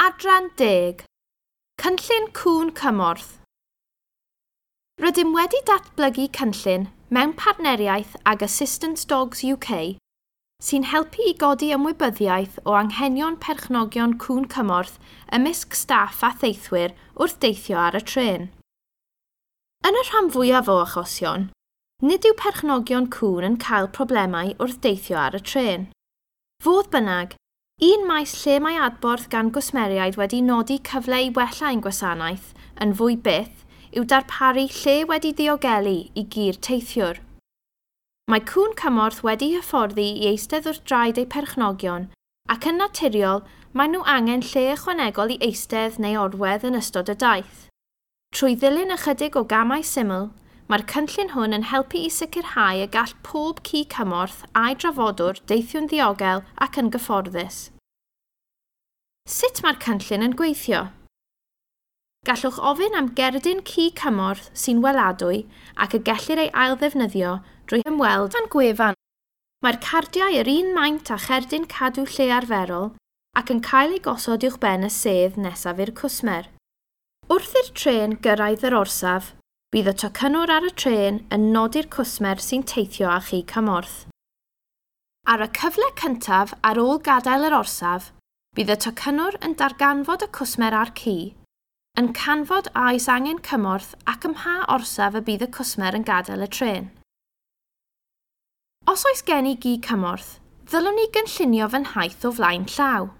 Adran 10. Cynllun Cŵn Cymorth. Rydym wedi datblygu cynllun mewn partneriaeth ag Assistance Dogs UK sy'n helpu i godi ymwybyddiaeth o anghenion perchnogion cŵn cymorth ymysg staff a theithwyr wrth deithio ar y trên. Yn y rhan fwyaf o achosion, nid yw perchnogion cŵn yn cael problemau wrth deithio ar y trên. Fodd bynnag, un maes lle mae adborth gan gwsmeriaid wedi nodi cyfle i wella ein gwasanaeth yn fwy byth yw darparu lle wedi ddiogelu i gi'r teithiwr. Mae cŵn cymorth wedi hyfforddi i eistedd wrth draed eu perchnogion ac yn naturiol maen nhw angen lle ychwanegol i eistedd neu orwedd yn ystod y daith. Trwy ddilyn ychydig o gamau syml, mae'r cynllun hwn yn helpu i sicrhau y gall pob ci cymorth a'i drafodwr deithio'n ddiogel ac yn gyfforddus. Sut mae'r cynllun yn gweithio? Gallwch ofyn am gerdyn ci cymorth sy'n weladwy ac y gellir ei ail-ddefnyddio drwy ymweld â'n gwefan. Mae'r cardiau yr un maint â cherdyn cadw lle arferol ac yn cael eu gosod uwchben y sedd nesaf i'r cwsmer. Wrth i'r trên gyrraedd yr orsaf, bydd y tocynnwr ar y trên yn nodi'r cwsmer sy'n teithio â chi cymorth. Ar y cyfle cyntaf ar ôl gadael yr orsaf, bydd y tocynnwr yn darganfod y cwsmer a'r ci, yn canfod a oes angen cymorth ac ym mha orsaf y bydd y cwsmer yn gadael y trên. Os oes gen i gi cymorth, ddylwn i gynllunio fy nhaith o flaen llaw.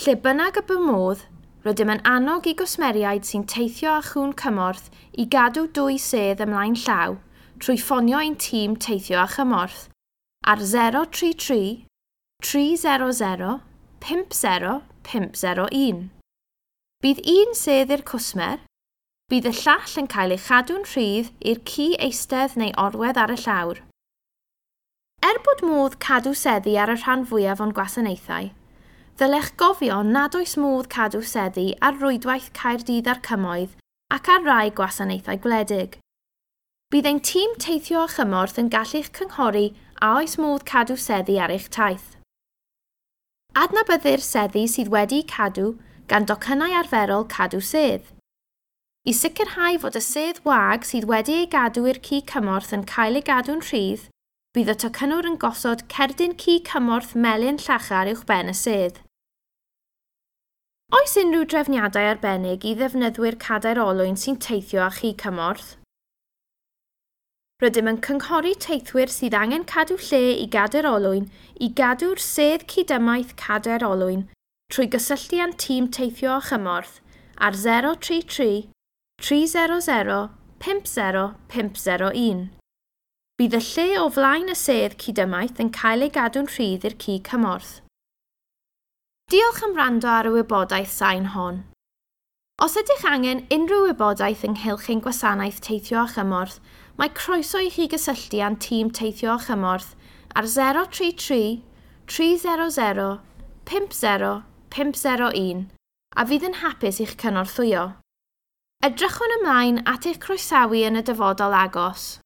Lle bynnag y bo modd, rydym yn annog i gwsmeriaid sy'n teithio â chŵn cymorth i gadw dwy sedd ymlaen llaw trwy ffonio ein tîm teithio â chymorth ar 033 300 50 501. Bydd un sedd i'r cwsmer, bydd y llall yn cael ei chadw'n rhydd i'r ci eistedd neu orwedd ar y llawr. Er bod modd cadw seddi ar y rhan fwyaf o'n gwasanaethau, ddylech gofio nad oes modd cadw seddi ar rwydwaith Caerdydd a'r Cymoedd ac ar rai gwasanaethau gwledig. Bydd ein tîm teithio a chymorth yn gallu'ch cynghori a oes modd cadw seddi ar eich taith. Adnabyddir seddi sydd wedi'u cadw gan docynnau arferol cadw sedd. I sicrhau fod y sedd wag sydd wedi ei gadw i'r ci cymorth yn cael ei gadw'n rhydd, bydd y tocynnwr yn gosod cerdyn ci cymorth melyn llachar uwchben y sedd. Oes unrhyw drefniadau arbennig i ddefnyddwyr cadair olwyn sy'n teithio â chi cymorth? Rydym yn cynghori teithwyr sydd angen cadw lle i gadair olwyn i gadw'r sedd cydymaith cadair olwyn trwy gysylltu â'n tîm teithio â chymorth ar 033 300 50 501. Bydd y lle o flaen y sedd cydymaith yn cael ei gadw'n rhydd i'r ci cymorth. Diolch am wrando ar y wybodaeth sain hon. Os ydych angen unrhyw wybodaeth ynghylch ein gwasanaeth teithio â chymorth, mae croeso i chi gysylltu â'n tîm teithio â chymorth ar 033 300 50 501 a fydd yn hapus i'ch cynorthwyo. Edrychwn ymlaen at eich croesawu yn y dyfodol agos.